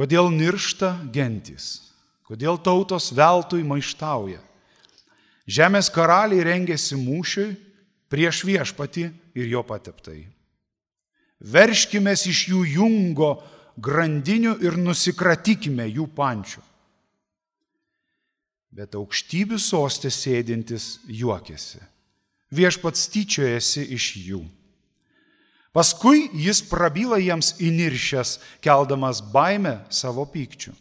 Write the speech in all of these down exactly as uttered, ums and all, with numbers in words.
Kodėl niršta gentys? Kodėl tautos veltui maištauja? Žemės karaliai rengėsi mūšiui prieš viešpatį ir jo pateptai. Verškimės iš jų jungo grandinių ir nusikratykime jų pančių. Bet aukštybių sostė sėdintis juokėsi. Viešpats tyčiojasi iš jų. Paskui jis prabyla jiems įniršęs, keldamas baimę savo pykčių.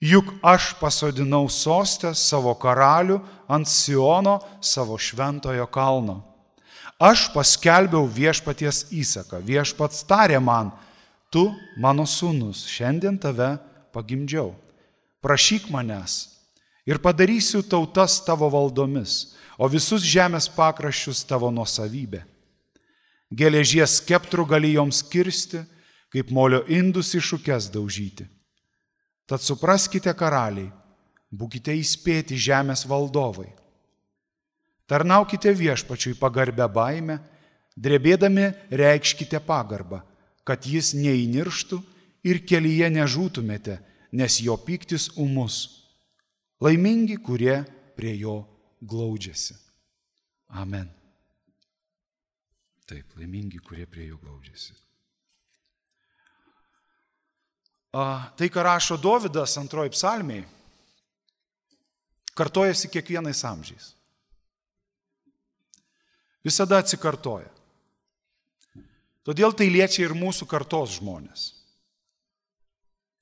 Juk aš pasodinau sostę savo karalių ant Siono savo šventojo kalno. Aš paskelbiau viešpaties įsaką. Viešpats tarė man, tu, mano sūnus, šiandien tave pagimdžiau. Prašyk manęs ir padarysiu tautas tavo valdomis, o visus žemės pakraščius tavo nuosavybė. Geležies skeptrų gali joms kirsti, kaip molio indus į šukes daužyti. Tad supraskite, karaliai, būkite įspėti žemės valdovai. Tarnaukite viešpačiui pagarbę baimę, drebėdami reikškite pagarbą, kad jis neįnirštų ir kelyje nežūtumėte, nes jo pyktis ūmus. Laimingi, kurie prie jo glaudžiasi. Amen. Taip, laimingi, kurie prie jo glaudžiasi. A, tai, ką rašo Dovydas antroji psalmėje, kartojasi kiekvienais amžiais. Visada atsikartoja. Todėl tai liečia ir mūsų kartos žmonės.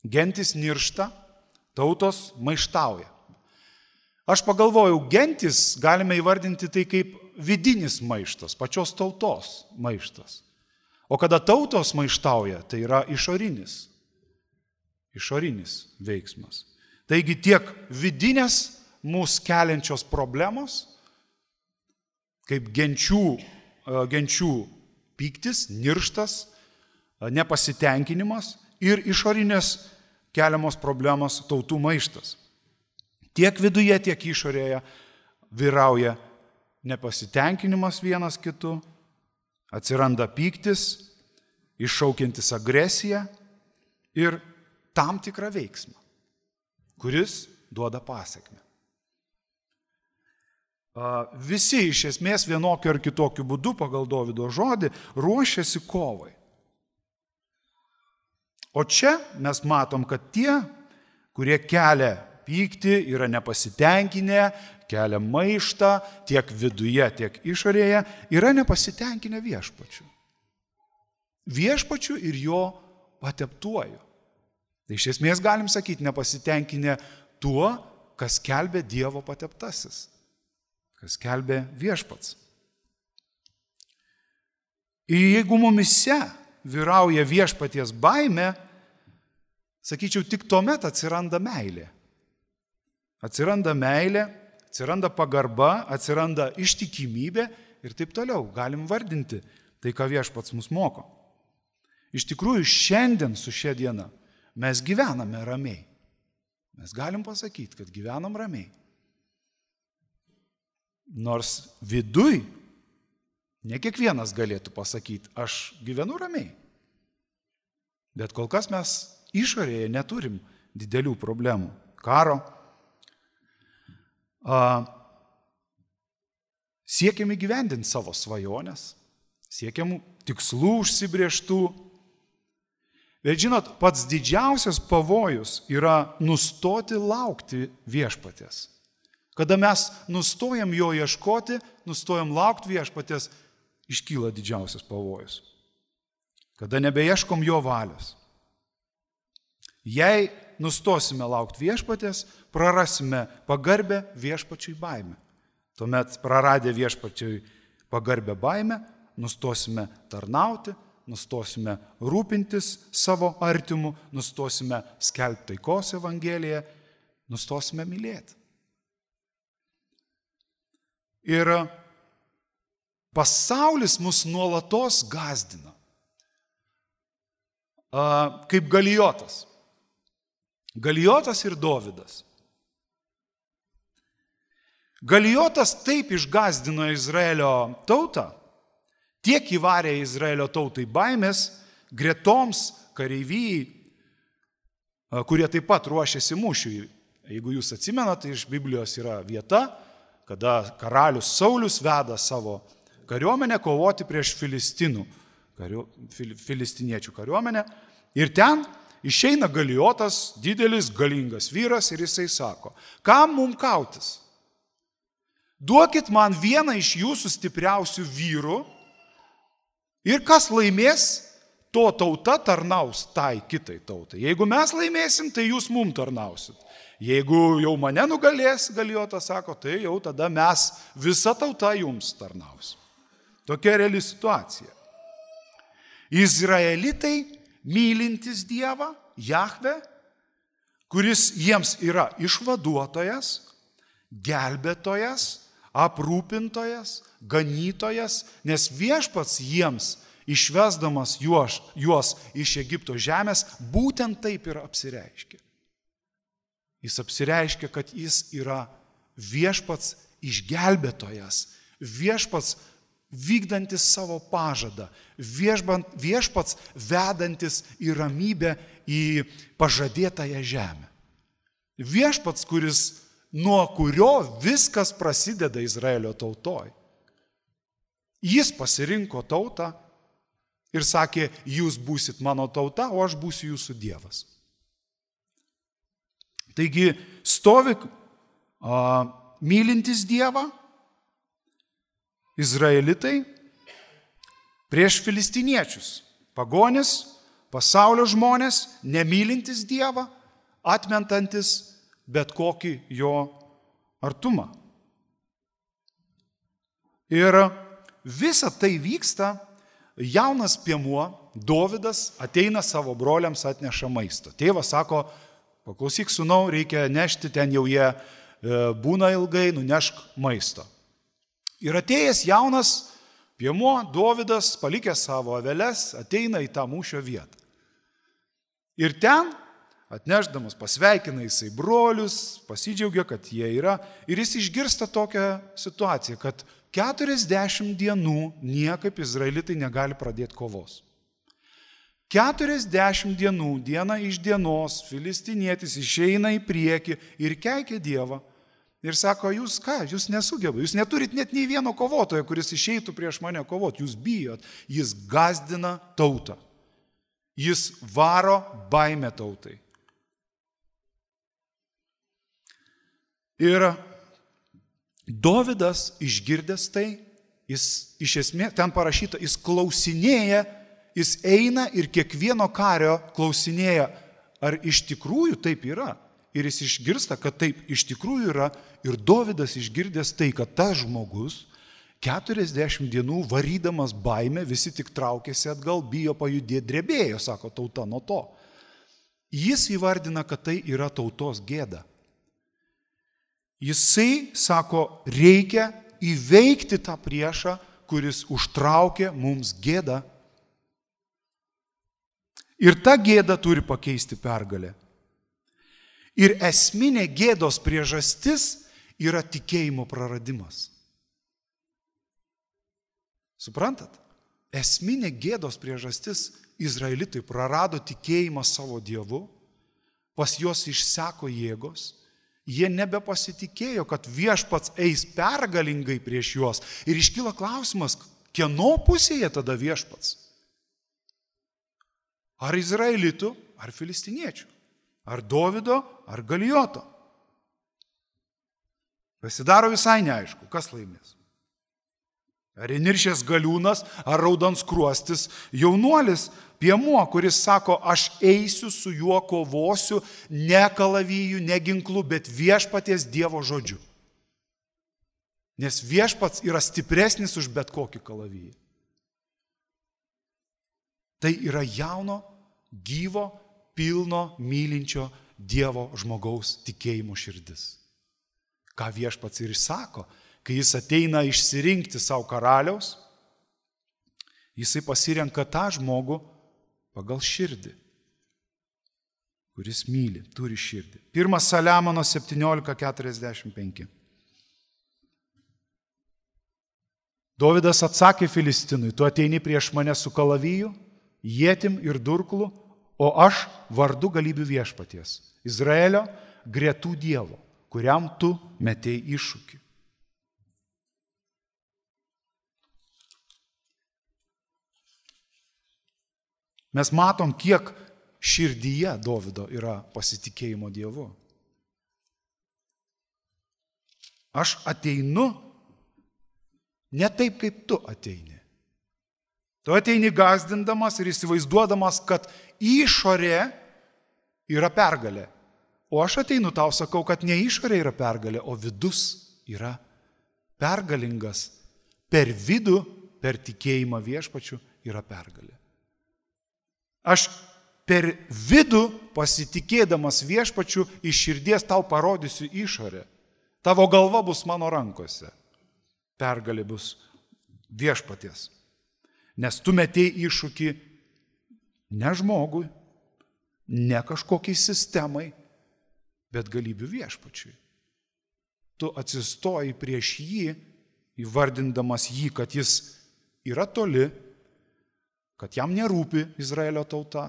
Gentis niršta, tautos maištauja. Aš pagalvojau, gentis galime įvardinti tai kaip vidinis maištas, pačios tautos maištas. O kada tautos maištauja, tai yra išorinis, išorinis veiksmas. Taigi tiek vidinės mūsų keliančios problemos, kaip genčių, genčių pyktis, nirštas, nepasitenkinimas ir išorinės keliamos problemos tautų maištas. Tiek viduje, tiek išorėje vyrauja nepasitenkinimas vienas kitu, atsiranda pyktis, iššaukiantis agresiją ir tam tikrą veiksmą, kuris duoda pasekmę. Visi iš esmės vienokiu ar kitokiu būdu pagal Dovydo žodį ruošiasi kovai. O čia mes matom, kad tie, kurie kelia pyktį, yra nepasitenkinę, kelia maištą tiek viduje, tiek išorėje, yra nepasitenkinę viešpačiu. Viešpačiu ir jo pateptuoju. Tai iš esmės galim sakyti, nepasitenkinę tuo, kas skelbė Dievo pateptasis, kas skelbė viešpats. Ir jeigu mumise vyrauja viešpaties baimė, sakyčiau, tik tuomet atsiranda meilė. Atsiranda meilė, atsiranda pagarba, atsiranda ištikimybė ir taip toliau. Galim vardinti tai, ką viešpats mus moko. Iš tikrųjų, šiandien su šia diena mes gyvename ramiai. Mes galim pasakyti, kad gyvenam ramiai. Nors viduj ne kiekvienas galėtų pasakyti, aš gyvenu ramiai. Bet kol kas mes išorėje neturim didelių problemų. Karo. A, siekiam įgyvendinti savo svajonės, siekiam tikslų užsibrėžtų. Bet žinot, pats didžiausias pavojus yra nustoti laukti viešpaties. Kada mes nustojam jo ieškoti, nustojam laukti viešpaties, iškyla didžiausias pavojus. Kada nebeieškom jo valios. Jei nustosime laukti viešpaties, prarasime pagarbę viešpačiui baimę. Tuomet praradę viešpačiui pagarbę baimę, nustosime tarnauti, nustosime rūpintis savo artimu, nustosime skelbti taikos evangeliją, nustosime mylėti. Ir pasaulis mus nuolatos gąsdina, kaip Galijotas. Galijotas ir Dovydas. Galijotas taip išgąsdino Izraelio tautą, tiek įvarė Izraelio tautai baimės, gretoms, kareivijai, kurie taip pat ruošiasi mūšiui. Jeigu jūs atsimenate, tai iš Biblijos yra vieta, kada karalius Saulius veda savo kariuomenę kovoti prieš filistinų, kariu, fil, filistiniečių kariuomenę. Ir ten išeina Galijotas, didelis, galingas vyras ir jisai sako, kam mums kautis? Duokit man vieną iš jūsų stipriausių vyrų ir kas laimės, to tauta tarnaus tai kitai tautai. Jeigu mes laimėsim, tai jūs mum tarnausit. Jeigu jau mane nugalės, Galijotas sako, tai jau tada mes visa tauta jums tarnaus. Tokia reali situacija. Izraelitai mylintis Dievą, Jahvę, kuris jiems yra išvaduotojas, gelbėtojas, aprūpintojas, ganytojas, nes viešpats jiems, išvesdamas juos, juos iš Egipto žemės, būtent taip ir apsireiškia. Jis apsireiškia, kad jis yra viešpats išgelbėtojas, viešpats vykdantis savo pažadą, viešpats vedantis į ramybę, į pažadėtąją žemę. Viešpats, kuris nuo kurio viskas prasideda Izraelio tautoj. Jis pasirinko tautą ir sakė, jūs būsit mano tauta, o aš būsiu jūsų Dievas. Taigi, stovi a, mylintis Dievą, Izraelitai prieš filistiniečius, pagonis, pasaulio žmonės, nemylintis Dievą, atmentantis bet kokį jo artumą. Ir visa tai vyksta, jaunas piemuo, Dovydas, ateina savo broliams, atneša maisto. Tėvas sako, paklausyk sūnau, reikia nešti, ten jau jie būna ilgai, nunešk maisto. Ir atėjęs jaunas piemuo, Dovydas, palikęs savo aveles, ateina į tą mūšio vietą. Ir ten atnešdamas pasveikina jisai brolius, pasidžiaugia, kad jie yra. Ir jis išgirsta tokią situaciją, kad keturiasdešimt dienų niekaip izraelitai negali pradėti kovos. keturiasdešimt dienų, diena iš dienos, filistinietis išeina į priekį ir keikia Dievą. Ir sako, jūs ką, jūs nesugeba, jūs neturit net nei vieno kovotojo, kuris išeitų prieš mane kovoti, jūs bijot. Jis gazdina tautą. Jis varo baimę tautai. Ir Dovydas išgirdęs tai, jis iš esmės, ten parašyta, jis klausinėja, jis eina ir kiekvieno kario klausinėja, ar iš tikrųjų taip yra. Ir jis išgirsta, kad taip iš tikrųjų yra. Ir Dovydas išgirdęs tai, kad tas žmogus keturiasdešimt dienų varydamas baimę, visi tik traukėsi atgal, bijo pajudėti, drebėjo, sako tauta nuo to. Jis įvardina, kad tai yra tautos gėda. Jisai sako, reikia įveikti tą priešą, kuris užtraukė mums gėdą. Ir ta gėda turi pakeisti pergalę. Ir esminė gėdos priežastis yra tikėjimo praradimas. Suprantat? Esminė gėdos priežastis, izraelitai prarado tikėjimą savo Dievu, pas juos išseko jėgos, jie nebepasitikėjo, kad viešpats eis pergalingai prieš juos. Ir iškyla klausimas, kieno pusėje tada viešpats? Ar izraelitų, ar filistiniečių? Ar Dovydo, ar Galijoto? Pasidaro visai neaišku, kas laimės. Ar įniršęs galiūnas, ar raudonskruostis jaunuolis, piemuo, kuris sako, aš eisiu su juo kovosiu, ne kalaviju, ne ginklu, bet viešpaties Dievo žodžiu. Nes viešpats yra stipresnis už bet kokį kalavijį. Tai yra jauno, gyvo, pilno, mylinčio Dievo žmogaus tikėjimo širdis. Ką viešpats ir sako, kai jis ateina išsirinkti savo karaliaus, jisai pasirenka tą žmogų pagal širdį, kuris myli, turi širdį. Pirmas Saliamono septyniolika keturiasdešimt penki. Dovydas atsakė Filistinui, tu ateini prieš mane su kalaviju, ietim ir durklu, o aš vardu galybių viešpaties, Izraelio gretų Dievo, kuriam tu metei iššūkį. Mes matom, kiek širdyje Dovydo yra pasitikėjimo Dievu. Aš ateinu ne taip, kaip tu ateini. Tu ateini gąsdindamas ir įsivaizduodamas, kad išorė yra pergalė. O aš ateinu tau sakau, kad ne išorė yra pergalė, o vidus yra pergalingas. Per vidų, per tikėjimą viešpačiu yra pergalė. Aš per vidų pasitikėdamas viešpačiu iš širdies tau parodysiu išorę. Tavo galva bus mano rankose. Pergalė bus viešpaties. Nes tu metei iššūkį ne žmogui, ne kažkokiai sistemai, bet galybių viešpačiui. Tu atsistoji prieš jį, įvardindamas jį, kad jis yra toli, kad jam nerūpi Izraelio tauta,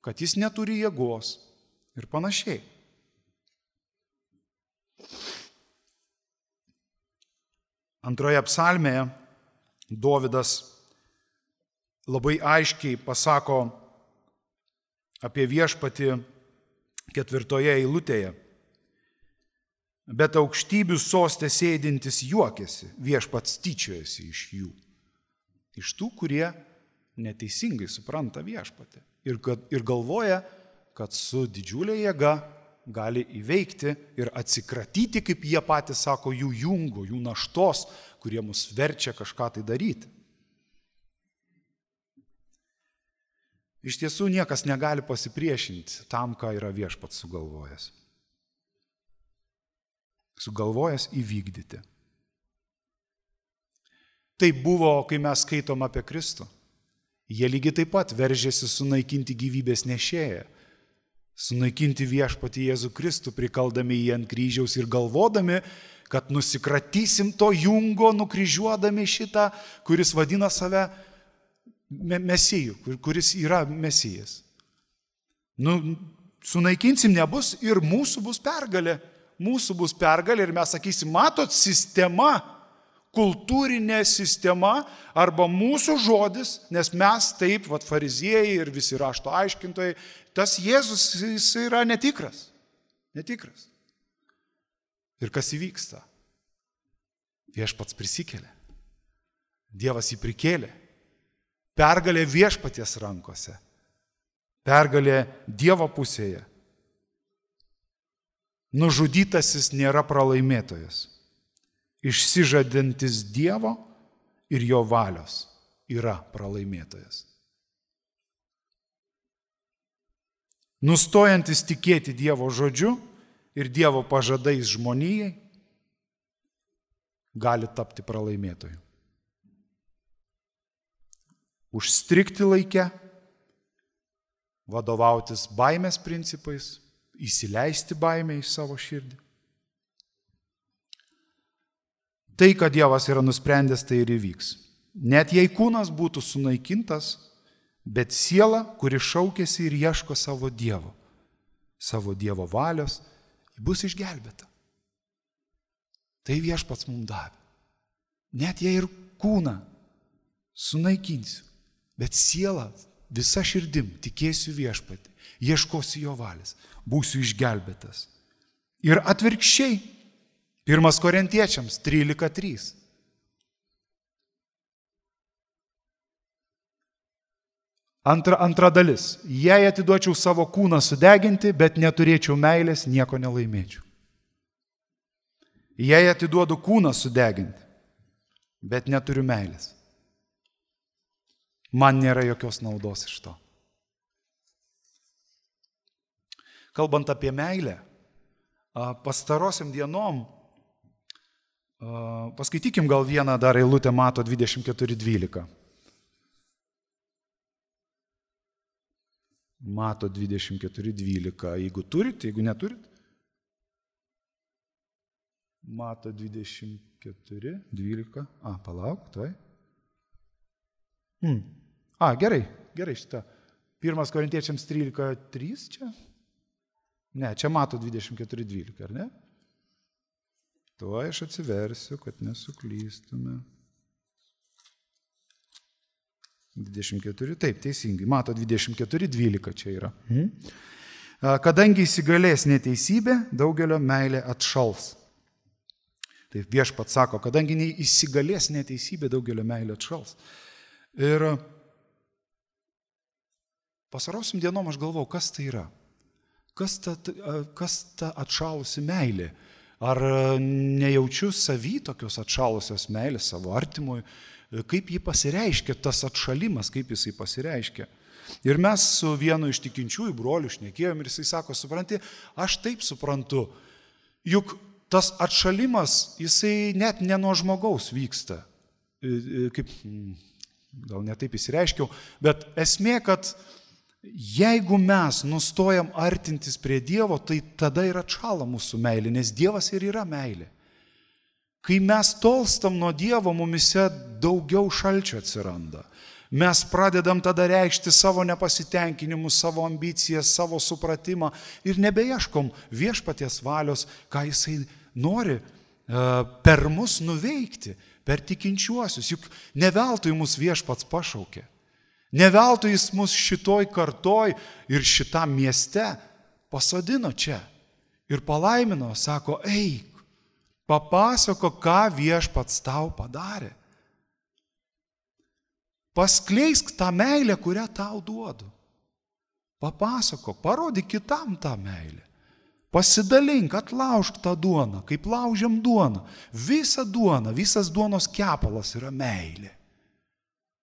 kad jis neturi jėgos ir panašiai. Antroje psalmėje Dovydas labai aiškiai pasako apie viešpatį ketvirtoje eilutėje. Bet aukštybių soste sėdintis juokiasi, viešpats tyčiojasi iš jų. Iš tų, kurie neteisingai supranta viešpatį ir, kad, ir galvoja, kad su didžiulė jėga gali įveikti ir atsikratyti, kaip jie patys sako, jų jungo, jų naštos, kurie mus verčia kažką tai daryti. Iš tiesų niekas negali pasipriešinti tam, ką yra viešpats sugalvojęs. Sugalvojęs įvykdyti. Tai buvo, kai mes skaitom apie Kristų. Jie lygiai taip pat veržėsi sunaikinti gyvybės nešėją, sunaikinti viešpatį Jėzų Kristų, prikaldami jį ant kryžiaus ir galvodami, kad nusikratysim to jungo, nukryžiuodami šitą, kuris vadina save Mesiju, kuris yra Mesijas. Nu, sunaikinsim nebus ir mūsų bus pergalė. Mūsų bus pergalė ir mes sakysim, matot, sistema, kultūrinė sistema arba mūsų žodis, nes mes taip, vat, fariziejai ir visi rašto aiškintojai, tas Jėzus jis yra netikras. Netikras. Ir kas įvyksta? Viešpats prisikėlė. Dievas jį prikėlė. Pergalė viešpaties rankose. Pergalė Dievo pusėje. Nužudytasis nėra pralaimėtojas. Išsižadantis Dievo ir jo valios yra pralaimėtojas. Nustojantis tikėti Dievo žodžiu ir Dievo pažadais žmonijai gali tapti pralaimėtoju. Užstrigti laike, vadovautis baimės principais, įsileisti baimę į savo širdį. Tai, kad Dievas yra nusprendęs, tai ir įvyks. Net jei kūnas būtų sunaikintas, bet siela, kuri šaukėsi ir ieško savo Dievo, savo Dievo valios, bus išgelbėta. Tai viešpats mums davė. Net jei ir kūną sunaikinsiu, bet sielą visa širdim tikėsiu viešpatį, ieškosiu jo valios, būsiu išgelbėtas. Ir atvirkščiai, pirmas Korintiečiams trylika trys. Antra, antra dalis. Jei atiduočiau savo kūną sudeginti, bet neturėčiau meilės, nieko nelaimėčiau. Jei atiduodu kūną sudeginti, bet neturiu meilės, man nėra jokios naudos iš to. Kalbant apie meilę, pastarosiam dienom, paskaitykim gal vieną dar eilutę Mato dvidešimt keturi dvylika. Mato dvidešimt keturi dvylika. Jeigu turit, jeigu neturit. Mato dvidešimt keturi dvylika. A, palauk, tai. Hmm. A, gerai, gerai šitą. Pirmas Korintiečiams trylika trys čia? Ne, čia mato dvidešimt keturi dvylika, ar ne? Tuo aš atsiversiu, kad nesuklystume. dvidešimt keturi, taip, teisingai, mato dvidešimt keturi dvylika čia yra. Mhm. Kadangi įsigalės neteisybė, daugelio meilė atšals. Taip viešpats sako, kadangi įsigalės neteisybė, daugelio meilė atšals. Ir pasarosiam dienom aš galvau, kas tai yra? Kas ta, kas ta atšalusi meilė? Ar nejaučiu savy tokios atšalusios meilės savo artimui? Kaip jį pasireiškia, tas atšalimas, kaip jisai pasireiškia? Ir mes su vienu iš tikinčiųjų brolių šnekėjom ir jisai sako, supranti, aš taip suprantu, juk tas atšalimas, jisai net ne nuo žmogaus vyksta. Kaip, gal ne taip įsireiškiau, bet esmė, kad jeigu mes nustojam artintis prie Dievo, tai tada ir atšala mūsų meilė, nes Dievas ir yra meilė. Kai mes tolstam nuo Dievo, mumise daugiau šalčio atsiranda. Mes pradedam tada reikšti savo nepasitenkinimus, savo ambicijas, savo supratimą ir nebeieškom viešpaties valios, ką jisai nori per mus nuveikti, per tikinčiuosius. Juk ne veltui mus viešpats pašaukė. Ne veltui jis mus šitoj kartoj ir šitam mieste pasodino čia ir palaimino, sako, eik, papasako, ką viešpats tau padarė. Paskleisk tą meilę, kurią tau duodu. Papasako, parodyk kitam tą meilę. Pasidalink, atlaužk tą duoną, kaip laužiam duoną. Visa duona, visas duonos kepalas yra meilė.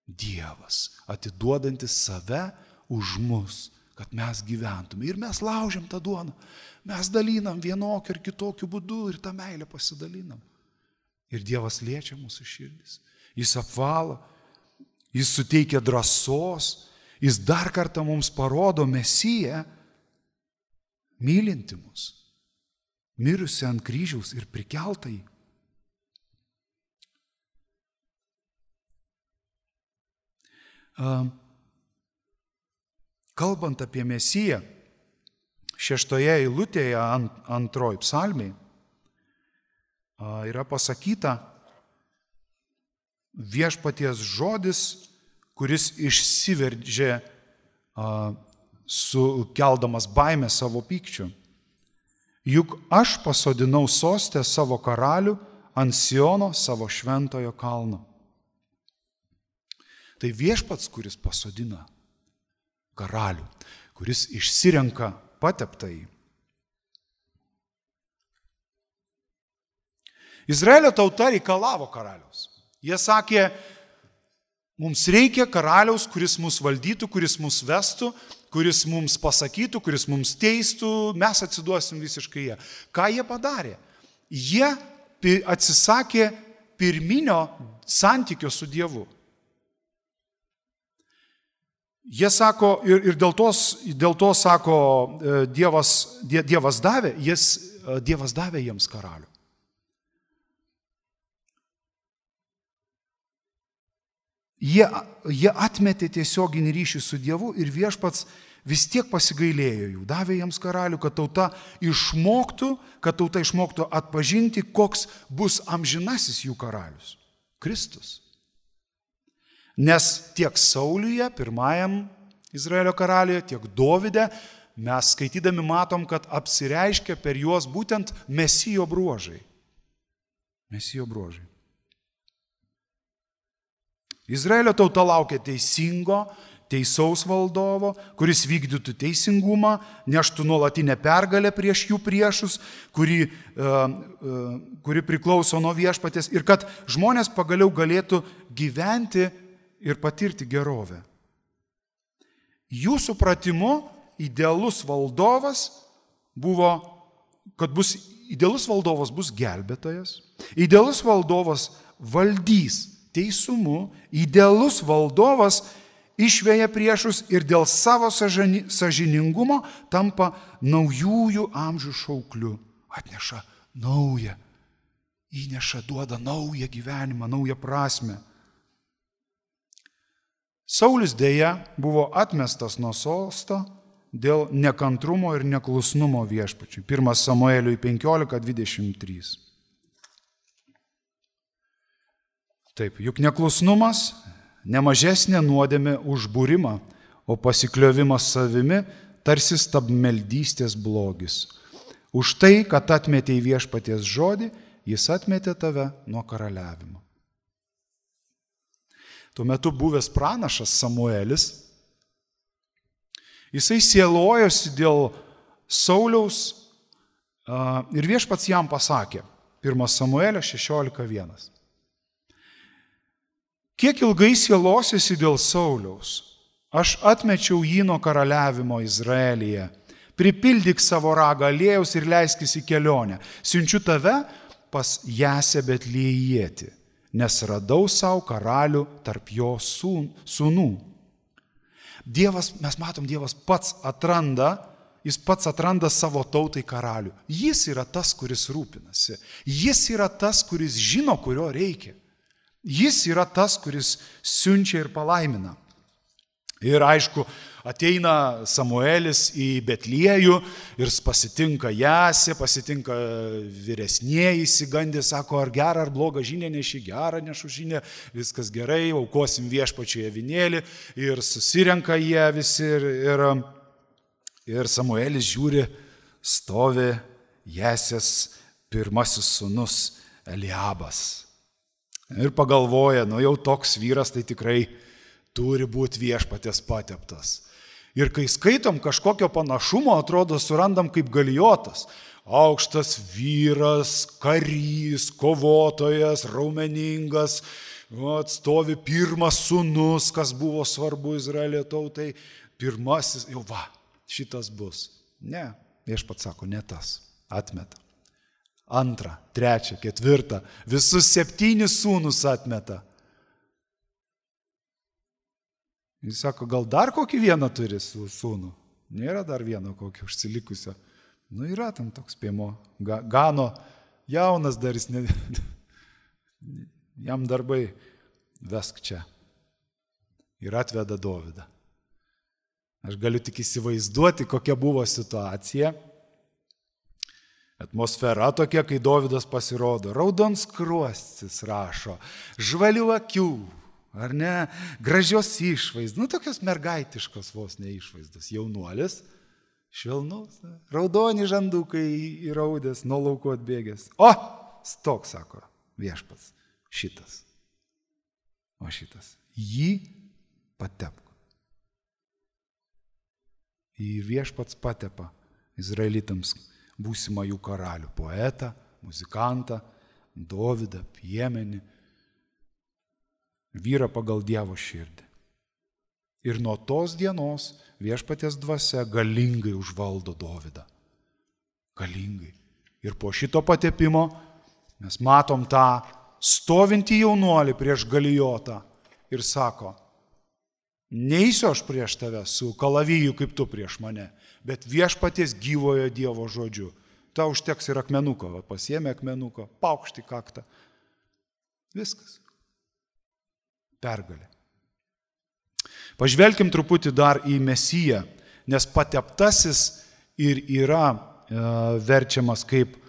Dievas, atiduodantis save už mus, kad mes gyventume. Ir mes laužiam tą duoną. Mes dalinam vienokiu ir kitokiu būdu ir tą meilę pasidalinam. Ir Dievas liečia mūsų širdis. Jis apvalo. Jis suteikia drąsos, jis dar kartą mums parodo Mesiją, mylinti mus, mirusi ant kryžiaus ir prikeltai. Kalbant apie Mesiją, šeštoje eilutėje antroj psalmėj yra pasakyta, viešpaties žodis, kuris išsiveržė sukeldamas baimę savo pykčiu. Juk aš pasodinau sostę savo karalių ant Siono savo šventojo kalno. Tai viešpats, kuris pasodina karalių, kuris išsirenka pateptąjį. Izraelio tauta reikalavo karaliaus. Jie sakė, mums reikia karaliaus, kuris mus valdytų, kuris mus vestų, kuris mums pasakytų, kuris mums teistų, mes atsiduosim visiškai jie. Ką jie padarė? Jie atsisakė pirminio santykio su Dievu. Jie sako, ir, ir dėl, tos, dėl to sako, Dievas, dievas, davė, jis, dievas davė jiems karalių. Jie, jie atmetė tiesioginį ryšį su Dievu ir viešpats vis tiek pasigailėjo jų. Davė jiems karalių, kad tauta išmoktų, kad tauta išmoktų atpažinti, koks bus amžinasis jų karalius. Kristus. Nes tiek Sauliuje, pirmajam Izraelio karaliuje, tiek Dovide, mes skaitydami matom, kad apsireiškia per juos būtent Mesijo bruožai. Mesijo bruožai. Izraelio tauta laukia teisingo, teisaus valdovo, kuris vykdytų teisingumą, neštų nuolatinę pergalę prieš jų priešus, kuri, kuri priklauso nuo viešpaties ir kad žmonės pagaliau galėtų gyventi ir patirti gerovę. Jų supratimu idealus valdovas buvo, kad bus, idealus valdovas bus gelbėtojas, idealus valdovas valdys teisumu, idealus valdovas išveja priešus ir dėl savo sąžiningumo tampa naujųjų amžių šaukliu. Atneša naują, įneša, duoda naują gyvenimą, naują prasmę. Saulis dėja buvo atmestas nuo sosto dėl nekantrumo ir neklusnumo viešpačiui. Pirmas Samueliui penkiolika dvidešimt trys. Taip, juk neklusnumas nemažesnė nuodėmė už būrimą, o pasikliovimas savimi tarsi stabmeldystės blogis. Už tai, kad atmetei viešpaties žodį, jis atmetė tave nuo karaliavimo. Tuo metu buvęs pranašas Samuelis, jisai sielojosi dėl Sauliaus ir viešpats jam pasakė, pirmas Samuelio šešiolika vienas. Kiek ilgai sielosiesi dėl Sauliaus? Aš atmečiau jį nuo karaliavimo Izraelyje. Pripildyk savo ragą aliejaus ir leiskis į kelionę. Siunčiu tave pas Jesę Betliejėtį, nes radau savo karalių tarp jo sūnų. Dievas, mes matom, Dievas pats atranda, jis pats atranda savo tautai karalių. Jis yra tas, kuris rūpinasi. Jis yra tas, kuris žino, kurio reikia. Jis yra tas, kuris siunčia ir palaimina. Ir aišku, ateina Samuelis į Betliejų ir pasitinka Jesę, pasitinka vyresnieji, įsigandė, sako, ar gerą, ar blogą žinią neši, gerą nešu žinią, viskas gerai, aukosim viešpačiui avinėlį ir susirenka jie visi ir, ir, ir Samuelis žiūri, stovi Jesės pirmasis sūnus Eliabas. Ir pagalvoja, nu jau toks vyras tai tikrai turi būti viešpaties pateptas. Ir kai skaitom kažkokio panašumo, atrodo, surandam kaip Galijotas. Aukštas vyras, karys, kovotojas, raumeningas, atstovi pirmas sūnus, kas buvo svarbu Izraelio tautai. Pirmasis, jau va, šitas bus. Ne, viešpats sako, ne tas, atmeta. Antrą, trečią, ketvirtą, visus septynis sūnus atmeta. Jis sako, gal dar kokį vieną turi sūnų? Nėra dar vieno kokio užsilikusio. Nu yra tam toks spėjimo. Gano jaunas dar jis, ne, jam darbai, vesk čia. Ir atveda Dovydą. Aš galiu tik įsivaizduoti, kokia buvo situacija. Atmosfera tokia, kai Dovydas pasirodo. Raudonskruostis rašo, žvalių akių, ar ne, gražios išvaizdos, nu tokios mergaitiškos vos ne išvaizdos. Jaunuolis, švelnus, raudoni žandukai įraudęs, nuo lauko atbėgęs. O, stok, sako viešpats, šitas. O šitas, jį patepk. Ir viešpats patepa izraelitams būsimą jų karalių, poetą, muzikantą, Dovydą, piemenį, vyrą pagal Dievo širdį. Ir nuo tos dienos viešpaties dvasia galingai užvaldo Dovydą. Galingai. Ir po šito patepimo mes matom tą stovintį jaunuolį prieš Galijotą ir sako, neįsiu aš prieš tave su kalaviju kaip tu prieš mane, bet viešpaties gyvojo Dievo žodžiu. Ta užteks ir akmenuko, va, pasiėmė akmenuko, paukšti kaktą. Viskas. Pergalė. Pažvelkim truputį dar į Mesiją, nes pateptasis ir yra e, verčiamas kaip e,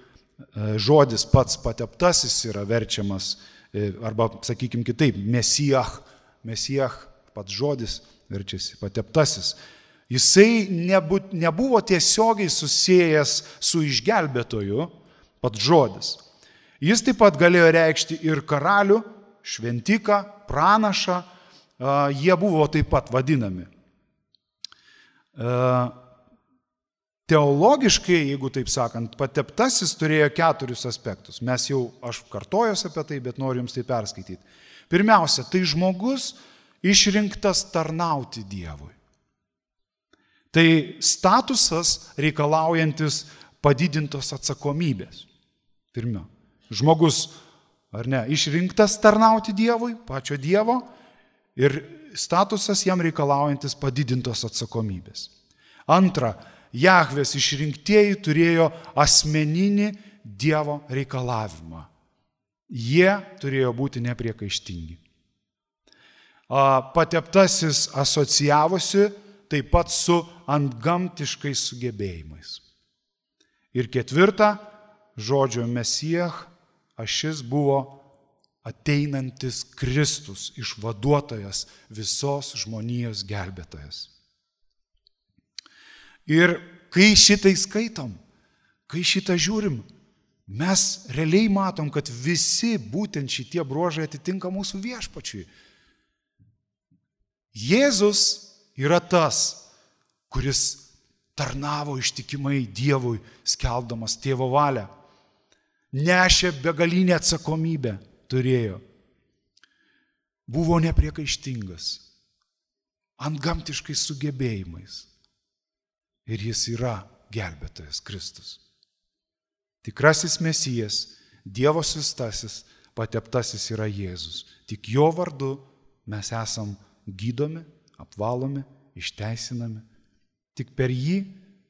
žodis pats pateptasis yra verčiamas, e, arba sakykim kitaip, Mesijach, Mesijach, pats žodis verčiasi pateptasis. Jisai nebu, nebuvo tiesiogiai susijęs su išgelbėtoju, pats žodis. Jis taip pat galėjo reikšti ir karalių, šventiką, pranašą, jie buvo taip pat vadinami. Teologiškai, jeigu taip sakant, pateptasis turėjo keturis aspektus. Mes jau, aš kartojos apie tai, bet noriu jums tai perskaityti. Pirmiausia, tai žmogus išrinktas tarnauti Dievui. Tai statusas reikalaujantis padidintos atsakomybės. Pirmiau, žmogus, ar ne, išrinktas tarnauti Dievui, pačio Dievo, ir statusas jam reikalaujantis padidintos atsakomybės. Antra, Jahvės išrinktieji turėjo asmeninį Dievo reikalavimą. Jie turėjo būti nepriekaištingi. pateptasis asocijavosi taip pat su antgamtiškais sugebėjimais. Ir ketvirta, žodžio Mesijach ašis buvo ateinantis Kristus, išvaduotojas, visos žmonijos gelbėtojas. Ir kai šitai skaitom, kai šitą žiūrim, mes realiai matom, kad visi būtent šitie bruožai atitinka mūsų viešpačiui. Jėzus yra tas, kuris tarnavo ištikimai Dievui, skelbdamas tėvo valią. Nešė begalinę atsakomybę, turėjo. Buvo nepriekaištingas, antgamtiškais sugebėjimais. Ir jis yra gelbėtojas Kristus. Tikrasis Mesijas, Dievo siųstasis, pateptasis yra Jėzus. Tik jo vardu mes esam gydomi, apvalomi, išteisinami. Tik per jį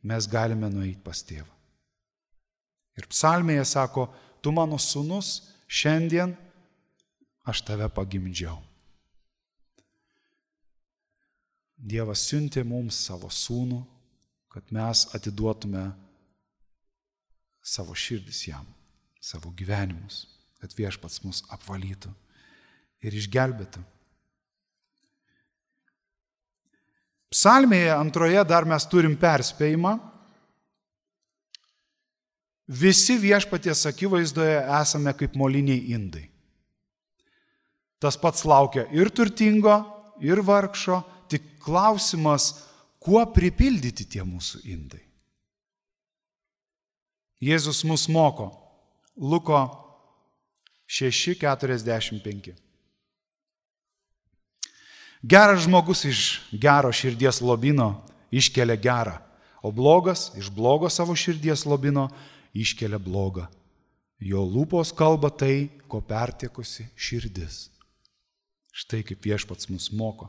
mes galime nueiti pas tėvą. Ir psalmėje sako, tu mano sūnus, šiandien aš tave pagimdžiau. Dievas siuntė mums savo sūnų, kad mes atiduotume savo širdis jam, savo gyvenimus, kad viešpats mus apvalytų ir išgelbėtų. Psalmėje antroje dar mes turim perspėjimą. Visi viešpaties akivaizdoje esame kaip moliniai indai. Tas pats laukia ir turtingo, ir vargšo, tik klausimas, kuo pripildyti tie mūsų indai. Jėzus mus moko. Luko šeši keturiasdešimt penki. Geras žmogus iš gero širdies lobino iškelia gerą, o blogas iš blogo savo širdies lobino iškelia blogą. Jo lūpos kalba tai, ko pertiekusi širdis. Štai kaip viešpats mus moko.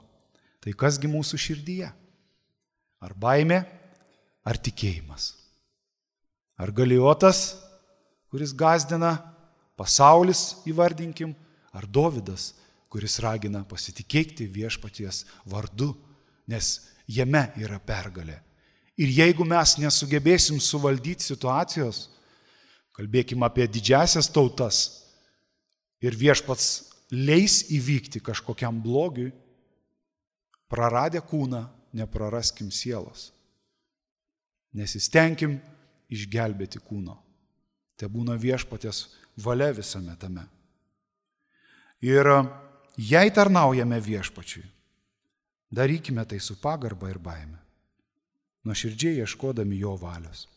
Tai kasgi mūsų širdyje? Ar baimė, ar tikėjimas? Ar Galijotas, kuris gazdina, pasaulis įvardinkim, ar Dovydas, kuris ragina pasitikėti viešpaties vardu, nes jame yra pergalė. Ir jeigu mes nesugebėsim suvaldyti situacijos, kalbėkim apie didžiasias tautas, ir viešpats leis įvykti kažkokiam blogiui, praradę kūną, nepraraskim sielos. Nesistengkim išgelbėti kūno. Tai būna viešpaties valia visame tame. Ir jei tarnaujame viešpačiui, darykime tai su pagarba ir baime, nuoširdžiai ieškodami jo valios.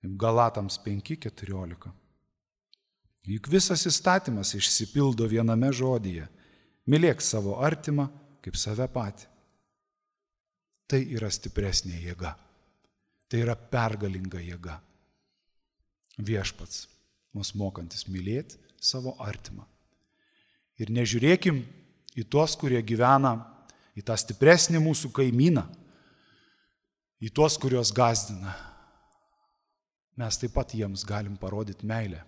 Galatams penki keturiolika. Juk visas įstatymas išsipildo viename žodyje. Mylėk savo artimą kaip save patį. Tai yra stipresnė jėga. Tai yra pergalinga jėga. Viešpats, mus mokantis mylėti savo artimą. Ir nežiūrėkim į tuos, kurie gyvena, į tą stipresnį mūsų kaimyną, į tuos, kurios gazdina. Mes taip pat jiems galim parodyti meilę.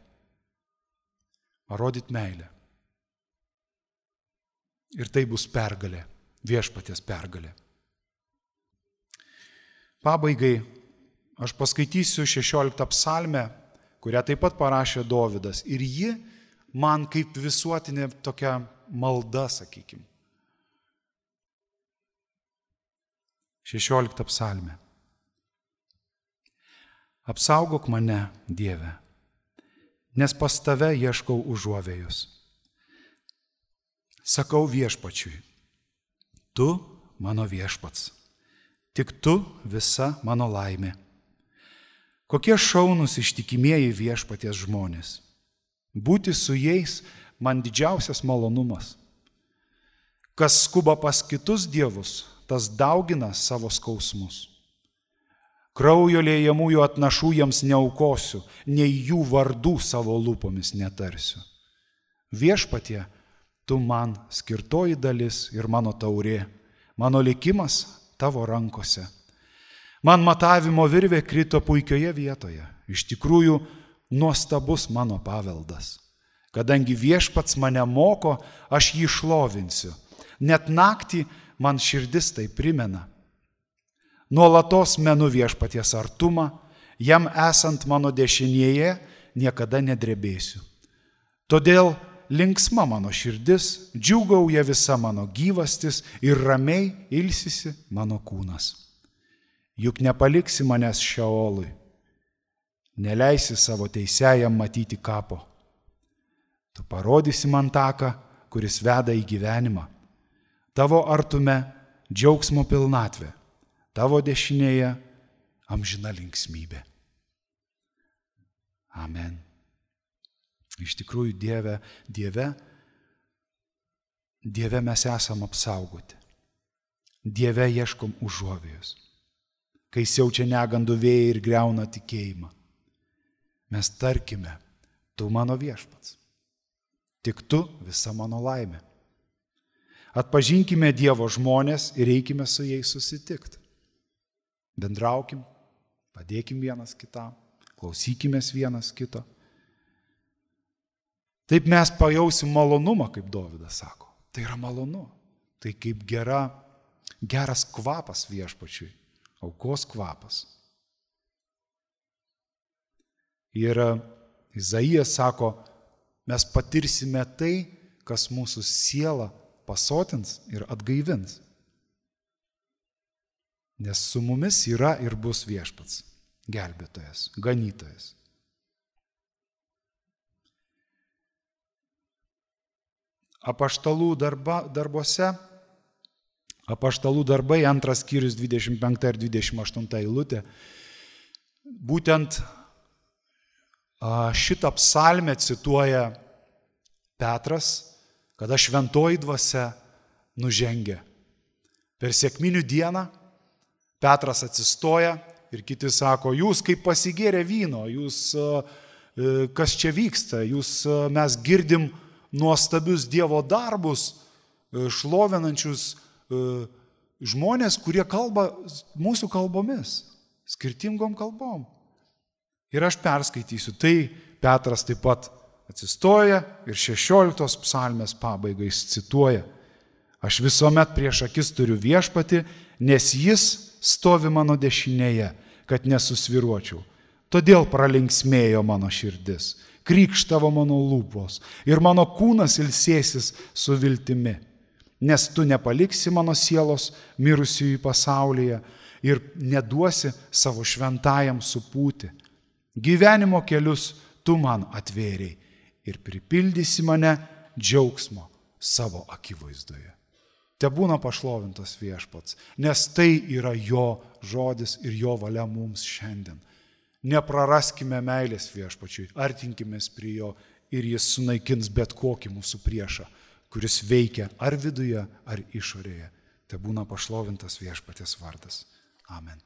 Parodyti meilę. Ir tai bus pergalė, viešpaties pergalė. Pabaigai aš paskaitysiu šešioliktą psalmę, kurią taip pat parašė Dovydas. Ir ji man kaip visuotinė tokia malda, sakykime. šešiolikta psalmė. Apsaugok mane, Dieve, nes pas tave ieškau užuovėjos. Sakau viešpačiui, tu mano viešpats, tik tu visa mano laimė. Kokie šaunūs ištikimieji viešpaties žmonės. Būti su jais man didžiausias malonumas. Kas skuba pas kitus dievus, tas daugina savo skausmus. Kraujo liejamųjų atnašų jiems neaukosiu, nei jų vardų savo lūpomis netarsiu. Viešpatie, tu man skirtoji dalis ir mano taurė, mano likimas tavo rankose. Man matavimo virvė krito puikioje vietoje, iš tikrųjų nuostabus mano paveldas. Kadangi viešpats mane moko, aš jį šlovinsiu. Net naktį man širdis tai primena. Nuolatos menu viešpaties artumą, jam esant mano dešinėje niekada nedrebėsiu. Todėl linksma mano širdis, džiūgauja visa mano gyvastis ir ramiai ilsisi mano kūnas. Juk nepaliksi manęs šeolui, neleisi savo teisėjam matyti kapo. Tu parodysi man taką, kuris veda į gyvenimą. Tavo artume džiaugsmo pilnatvė, tavo dešinėje amžina linksmybė. Amen. Iš tikrųjų, Dieve, Dieve, Dieve mes esam apsaugoti. Dieve ieškom užuovėjos. Kai siaučia negandų vėjai ir griauna tikėjimą. Mes tarkime, tu mano viešpats. Tik tu visa mano laimė. Atpažinkime Dievo žmonės ir eikime su jais susitikti. Bendraukim, padėkim vienas kitam, klausykimės vienas kito. Taip mes pajausim malonumą, kaip Dovydas sako. Tai yra malonu. Tai kaip gera, geras kvapas viešpačiui, aukos kvapas. Ir Izaijas sako, mes patirsime tai, kas mūsų sielą pasotins ir atgaivins. Nes su mumis yra ir bus viešpats, gelbėtojas, ganytojas. Apaštalų darba, darbuose, apaštalų darbai, antras skyrius dvidešimt penkta ir dvidešimt aštunta eilutė, būtent šitą psalmę cituoja Petras, kada šventoji dvasia nužengia. Per sekminių dieną Petras atsistoja ir kiti sako, jūs kaip pasigėrę vyno, jūs, kas čia vyksta, jūs, mes girdim nuostabius Dievo darbus, šlovinančius žmonės, kurie kalba mūsų kalbomis, skirtingom kalbom. Ir aš perskaitysiu, tai Petras taip pat atsistoja ir šešioliktos psalmės pabaigai cituoja. Aš visuomet prieš akis turiu viešpatį, nes jis stovi mano dešinėje, kad nesusviruočiau. Todėl pralinksmėjo mano širdis, krykštavo mano lūpos ir mano kūnas ilsėsis su viltimi. Nes tu nepaliksi mano sielos mirusiųjų pasaulyje ir neduosi savo šventajam supūti. Gyvenimo kelius tu man atvėrei ir pripildysi mane džiaugsmo savo akivaizdoje. Te būna pašlovintas viešpats, nes tai yra jo žodis ir jo valia mums šiandien. Nepraraskime meilės viešpačiui, artinkimės prie jo ir jis sunaikins bet kokį mūsų priešą, kuris veikia ar viduje, ar išorėje. Te būna pašlovintas viešpaties vardas. Amen.